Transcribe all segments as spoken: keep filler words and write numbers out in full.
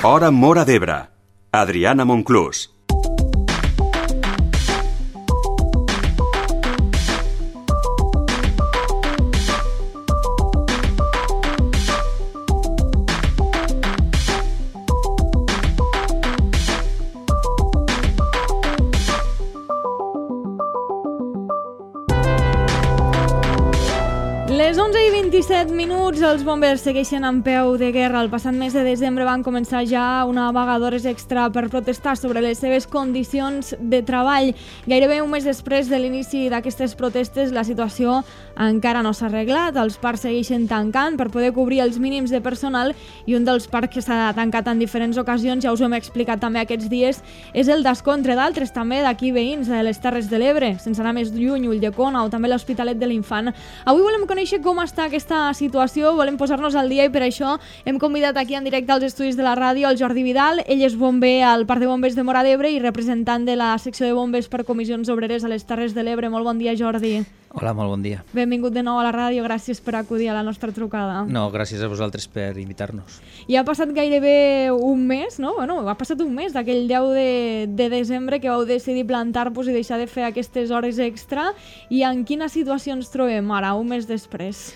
Hora Móra d'Ebre. Adriana Monclús. Les onze i vint-i-set minuts, els bombers segueixen en peu de guerra. El passat mes de desembre van començar ja una vaga d'hores extra per protestar sobre les seves condicions de treball. Gairebé un mes després de l'inici d'aquestes protestes, la situació encara no s'ha arreglat. Els parcs segueixen tancant per poder cobrir els mínims de personal i un dels parcs que s'ha tancat en diferents ocasions, ja us ho hem explicat també aquests dies, és el d'Ascó, entre d'altres, també d'aquí veïns de les Terres de l'Ebre, sense anar més lluny, Ulldecona o també l'Hospitalet de l'Infant. Avui volem conèixer com està aquesta situació, volem posar-nos al dia i per això hem convidat aquí en directe als estudis de la ràdio el Jordi Vidal. Ell és bomber al Parc de Bombers de Móra d'Ebre i representant de la secció de bombers per comissions obreres a les Terres de l'Ebre. Molt bon dia, Jordi. Hola, molt bon dia. Benvingut de nou a la ràdio, gràcies per acudir a la nostra trucada. No, gràcies a vosaltres per invitar-nos. Ja ha passat gairebé un mes, no? Bueno, ha passat un mes d'aquell deu de, de desembre que vau decidir plantar-vos i deixar de fer aquestes hores extra. I en quina situació ens trobem ara, un mes després?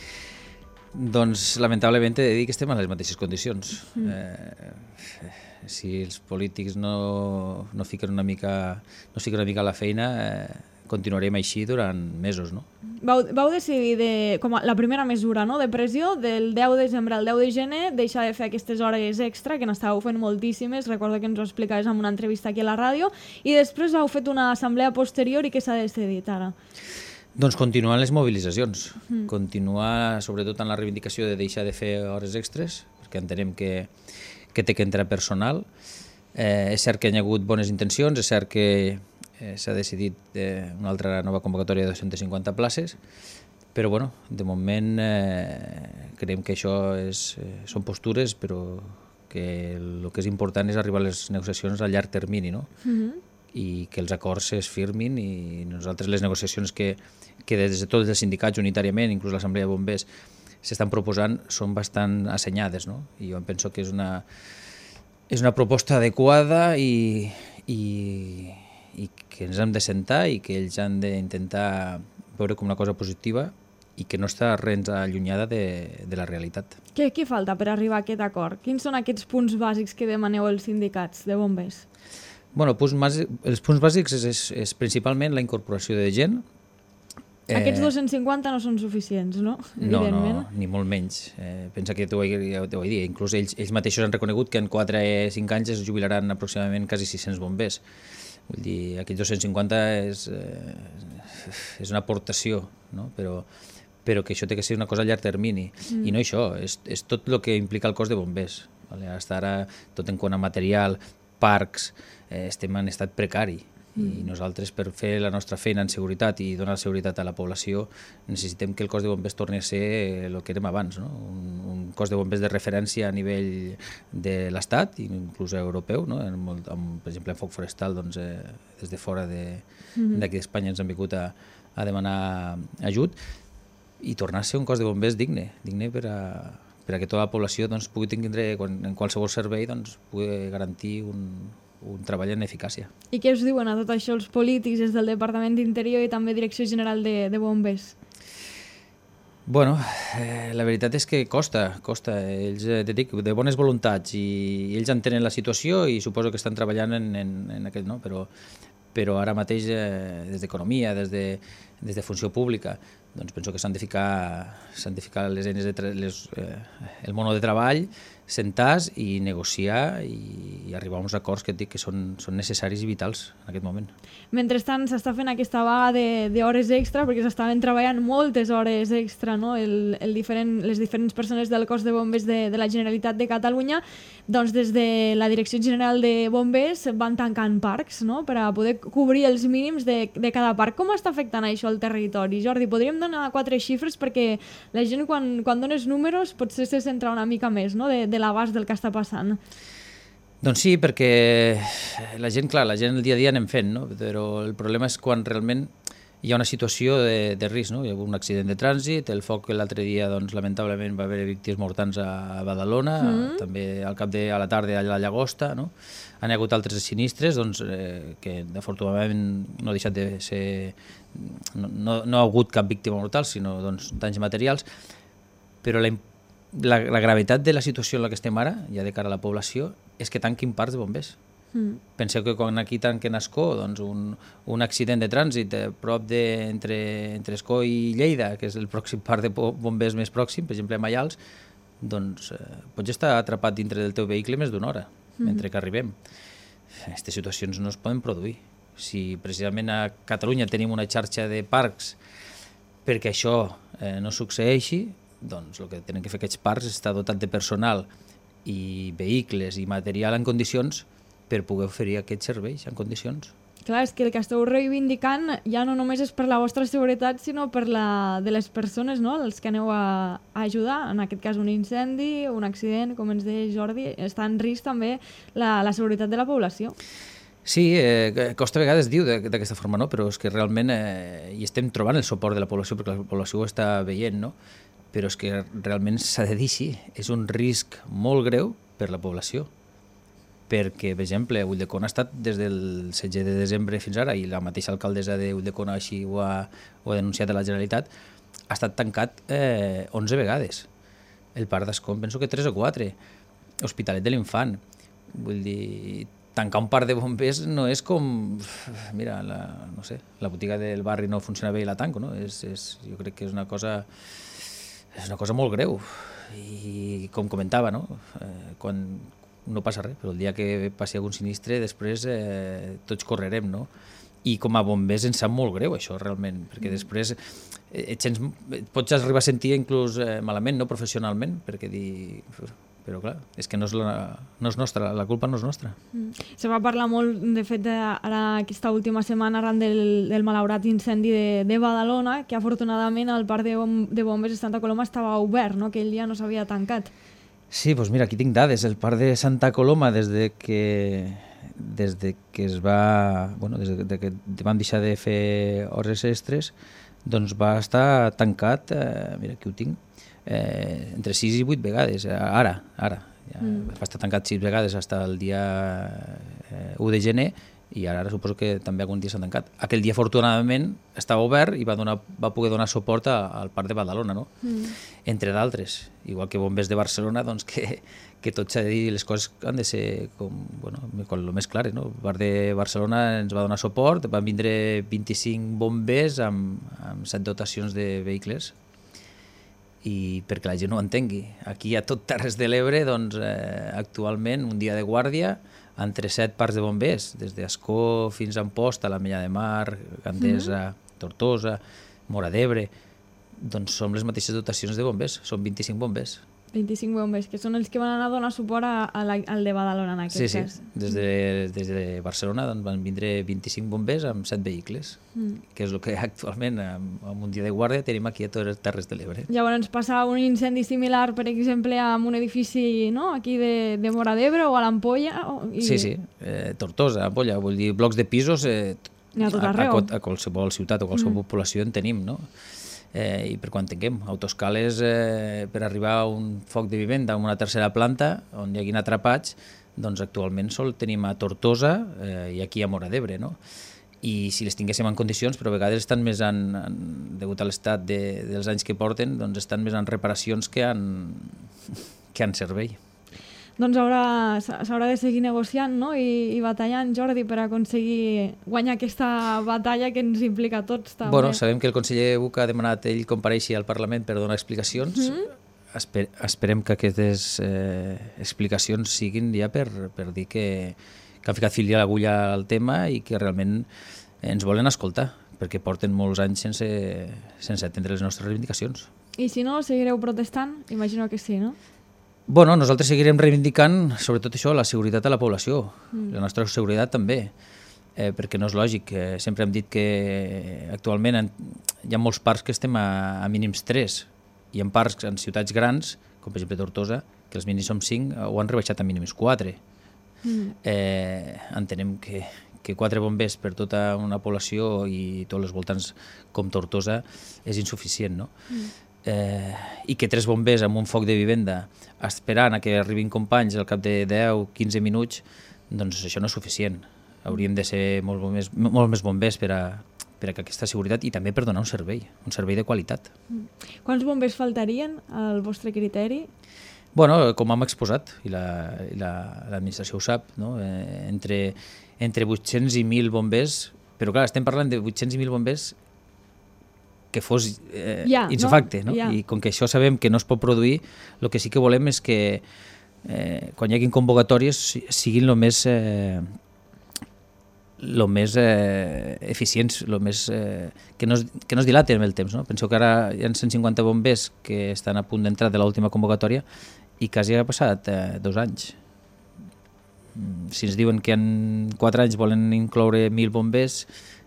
Doncs, lamentablement, he de dir que estem en les mateixes condicions. Mm. Eh, si els polítics no, no fiquen una mica, no fiquen una mica a la feina, eh, continuarem així durant mesos, no? Vau, vau decidir, de, com a, la primera mesura, no?, de pressió, del deu de desembre al deu de gener, deixar de fer aquestes hores extra, que n'estàveu fent moltíssimes, recordo que ens ho explicaves en una entrevista aquí a la ràdio, i després heu fet una assemblea posterior i què s'ha decidit ara? Doncs continuar les mobilitzacions, mm. continuar sobretot en la reivindicació de deixar de fer hores extres, perquè entenem que, que té que entrar personal. Eh, és cert que hi ha hagut bones intencions, és cert que eh, s'ha decidit eh, una altra nova convocatòria de dos-centes cinquanta places, però bueno, de moment eh, creiem que això és, eh, són postures, però que el que és important és arribar a les negociacions a llarg termini, no? Mm-hmm. I que els acords es firmin i nosaltres les negociacions que, que des de tots els sindicats unitàriament, inclús l'Assemblea de Bombers, s'estan proposant són bastant assenyades, no? I jo penso que és una, és una proposta adequada i, i, i que ens hem de sentar i que ells han d'intentar veure com una cosa positiva i que no està res allunyada de, de la realitat. Què, què falta per arribar a aquest acord? Quins són aquests punts bàsics que demaneu els sindicats de bombers? Bueno, punts bàsics, els punts bàsics és, és, és principalment la incorporació de gent. Aquests eh, dos-cents cinquanta no són suficients, no? No, no, ni molt menys. Eh, pensa que t'ho vaig dir, inclús ells, ells mateixos han reconegut que en quatre o cinc anys es jubilaran aproximadament quasi sis-cents bombers. Vull dir, aquests dos-cents cinquanta és, eh, és una aportació, no? Però, però que això té que ser una cosa a llarg termini. Mm. I no això, és, és tot el que implica el cos de bombers. Vale? Hasta ara, tot en quant a material, parcs, eh, estem en estat precari mm. i nosaltres per fer la nostra feina en seguretat i donar seguretat a la població necessitem que el cos de bombers torni a ser el que érem abans, no? un, un cos de bombers de referència a nivell de l'Estat, inclús europeu, no? En molt, amb, per exemple en foc forestal, doncs, eh, des de fora de, mm. d'aquí d'Espanya ens han vingut a, a demanar ajut i tornar a ser un cos de bombers digne, digne per a per a que tota la població doncs, pugui tindre, en qualsevol servei, doncs, pugui garantir un, un treball en eficàcia. I què us diuen a tot això els polítics des del Departament d'Interior i també Direcció General de, de Bombers? Bueno, eh, la veritat és que costa, costa. Ells, eh, dic, de bones voluntats i ells entenen la situació i suposo que estan treballant en, en, en aquest, no? Però, però ara mateix, eh, des d'economia, des de, des de funció pública, doncs penso que s'han de ficar, s'han de ficar les eines de les, eh, el mono de treball, sentar i negociar i, i arribar a uns acords que et dic que són, són necessaris i vitals en aquest moment. Mentrestant s'està fent aquesta vaga d'hores extra perquè s'estaven treballant moltes hores extra, no? el, el diferent, les diferents persones del cos de bombers de, de la Generalitat de Catalunya, doncs des de la Direcció General de Bombers van tancant parcs, no? Per a poder cobrir els mínims de, de cada parc. Com està afectant això al territori? Jordi, podríem donar quatre xifres perquè la gent quan, quan dones números potser se centra una mica més, no? de, de l'abast del que està passant. Doncs sí, perquè la gent, clar, la gent el dia a dia anem fent, no? Però el problema és quan realment hi ha una situació de, de risc, no? Hi ha hagut un accident de trànsit, el foc l'altre dia, doncs, lamentablement, va haver víctimes mortals a Badalona, mm. també al cap de a la tarda a la Llagosta, no? Han hi hagut altres sinistres, doncs, eh, que afortunadament no ha deixat de ser... No, no, no ha hagut cap víctima mortal, sinó doncs, danys materials, però la, la, la gravetat de la situació en la que estem ara, ja de cara a la població, és que tanquin parcs de bombers. Mm. Penseu que quan aquí tanquen Ascó, doncs un, un accident de trànsit a prop de, entre, entre Ascó i Lleida, que és el pròxim parc de bombers més pròxim, per exemple a Maials, doncs eh, pots estar atrapat dintre del teu vehicle més d'una hora, mm. mentre que arribem. Aquestes situacions no es poden produir. Si precisament a Catalunya tenim una xarxa de parcs perquè això eh, no succeeixi, doncs el que tenen que fer aquests parcs és estar dotat de personal i vehicles i material en condicions per poder oferir aquests serveis en condicions. Clar, és que el que esteu reivindicant ja no només és per la vostra seguretat, sinó per la de les persones, no?, els que aneu a, a ajudar. En aquest cas, un incendi, un accident, com ens deia Jordi, està en risc també la, la seguretat de la població. Sí, eh, costa a vegades diu d'aquesta forma, no? Però és que realment eh, hi estem trobant el suport de la població, perquè la població ho està veient, no? Però és que realment s'ha de dir així, és un risc molt greu per la població, perquè, per exemple, Ulldecona ha estat des del setze de desembre fins ara, i la mateixa alcaldessa de Ulldecona així ho ha, ho ha denunciat a la Generalitat, ha estat tancat eh, onze vegades. El parc d'Ascó penso que tres o quatre. Hospitalet de l'Infant. Vull dir, tancar un parc de bombers no és com... Mira, la, no sé, la botiga del barri no funciona bé i la tanco, no? És, és, jo crec que és una cosa... És una cosa molt greu. I com comentava, no? Eh, quan... no passa res, però el dia que passi algun sinistre després eh, tots correrem, no? I com a bombers ens sap molt greu això realment, perquè després eh, et sents, et pots arribar a sentir inclús eh, malament, no professionalment, perquè dir... Però clar, és que no és, la, no és nostra, la culpa no és nostra. Mm. Se va parlar molt, de fet, de, ara aquesta última setmana arran del, del malaurat incendi de, de Badalona, que afortunadament el parc de, bom, de bombers de Santa Coloma estava obert, no?, que ell ja no s'havia tancat. Sí, doncs mira, aquí tinc dades. El parc de Santa Coloma, des de que, des de que es va... Bueno, des de que vam deixar de fer hores extres, doncs va estar tancat, eh, mira, aquí ho tinc, eh, entre sis i vuit vegades. Ara, ara. Ja mm. Va estar tancat sis vegades fins al dia eh, u de gener, i ara, ara suposo que també algun dia s'ha tancat. Aquell dia, afortunadament, estava obert i va, donar, va poder donar suport a, al parc de Badalona, no? Mm. Entre d'altres. Igual que bombers de Barcelona, doncs que, que tot s'ha de dir, les coses han de ser com, bueno, com el més clares, no? El parc de Barcelona ens va donar suport, van vindre vint-i-cinc bombers amb, amb set dotacions de vehicles, i perquè la gent ho entengui. Aquí a tot Terres de l'Ebre, doncs, eh, actualment, un dia de guàrdia, entre set parcs de bombers, des d'Ascó fins a Amposta, la Mella de Mar, Gandesa, mm. Tortosa, Móra d'Ebre, doncs som les mateixes dotacions de bombers, són vint-i-cinc bombers. vint-i-cinc bombers, que són els que van anar a donar suport a, a la, al de Badalona en aquest sí, cas. Sí, des de, des de Barcelona doncs, van vindre vint-i-cinc bombers amb set vehicles, mm. que és el que actualment, amb, amb un dia de guàrdia, tenim aquí a totes les Terres de l'Ebre. Llavors passar un incendi similar, per exemple, amb un edifici, no?, aquí de, de Móra d'Ebre o a l'Ampolla... I... Sí, sí, eh, Tortosa, Ampolla, vull dir, blocs de pisos eh, a, tot arreu. a, a qualsevol ciutat o qualsevol mm. població en tenim, no? Eh, i per quan tinguem autoscales eh, per arribar a un foc de vivenda en una tercera planta on hi haguin atrapats, doncs actualment sol tenim a Tortosa eh, i aquí a Móra d'Ebre, no? I si les tinguéssim en condicions, però a vegades estan més en, en degut a l'estat de, dels anys que porten, doncs estan més en reparacions que en, que en servei. Doncs s'haurà de seguir negociant, no?, I, i batallant, Jordi, per aconseguir guanyar aquesta batalla que ens implica a tots. També. Bueno, sabem que el conseller Buch ha demanat ell compareixi al Parlament per donar explicacions. Mm-hmm. Esper, esperem que aquestes eh, explicacions siguin ja per, per dir que, que han ficat fil a l'agulla al tema i que realment ens volen escoltar, perquè porten molts anys sense, sense atendre les nostres reivindicacions. I si no, seguireu protestant? Imagino que sí, no? Bueno, nosaltres seguirem reivindicant sobretot això, la seguretat de la població, mm. la nostra seguretat també, eh, perquè no és lògic. Eh, sempre hem dit que actualment en, hi ha molts parcs que estem a, a mínims tres, i en parcs en ciutats grans, com per exemple Tortosa, que els mínims són cinc, ho han rebaixat a mínims quatre. Mm. Eh, entenem que, que quatre bombers per tota una població i tots els voltants com Tortosa és insuficient, no? Mm. Eh, i que tres bombers amb un foc de vivenda esperant a que arribin companys al cap de deu a quinze minuts, doncs això no és suficient. Haurien de ser molt més, molt més bombers per a, per a aquesta seguretat i també per donar un servei, un servei de qualitat. Mm. Quants bombers faltarien al vostre criteri? Bueno, com hem exposat, i l'administració la, ho sap, no? eh, entre, entre vuit-cents i mil bombers, però clar, estem parlant de vuit-cents i mil bombers que fos eh, ja, insofacte, no? No? Ja. I com que això sabem que no es pot produir, el que sí que volem és que eh, quan hi hagi convocatòries siguin el més, eh, lo més eh, eficients, lo més, eh, que, no es, que no es dilaten amb el temps. No? Penseu que ara hi ha cent cinquanta bombers que estan a punt d'entrar de l'última convocatòria i quasi ha passat eh, dos anys. Si ens diuen que en quatre anys volen incloure mil bombers,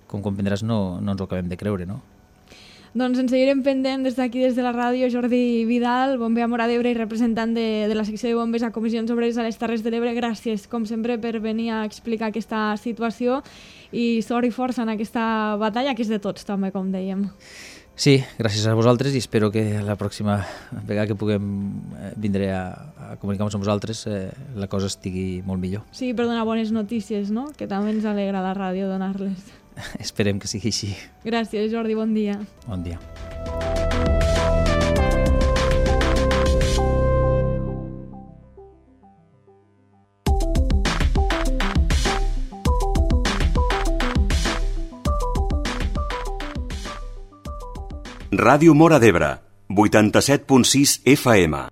com comprendràs no, no ens ho acabem de creure, no? Doncs ens seguirem pendent des d'aquí, des de la ràdio. Jordi Vidal, bomber a Móra d'Ebre i representant de, de la secció de bombers a Comissions Obreres a les Terres de l'Ebre. Gràcies, com sempre, per venir a explicar aquesta situació i sort i força en aquesta batalla, que és de tots, també, com dèiem. Sí, gràcies a vosaltres i espero que la pròxima vegada que puguem eh, vindré a, a comunicar-nos amb vosaltres eh, la cosa estigui molt millor. Sí, per donar bones notícies, no? Que també ens alegra a la ràdio donar-les. Esperem que sigui així. Gràcies, Jordi, bon dia. Bon dia. Ràdio Móra d'Ebre, vuitanta-set punt sis F M.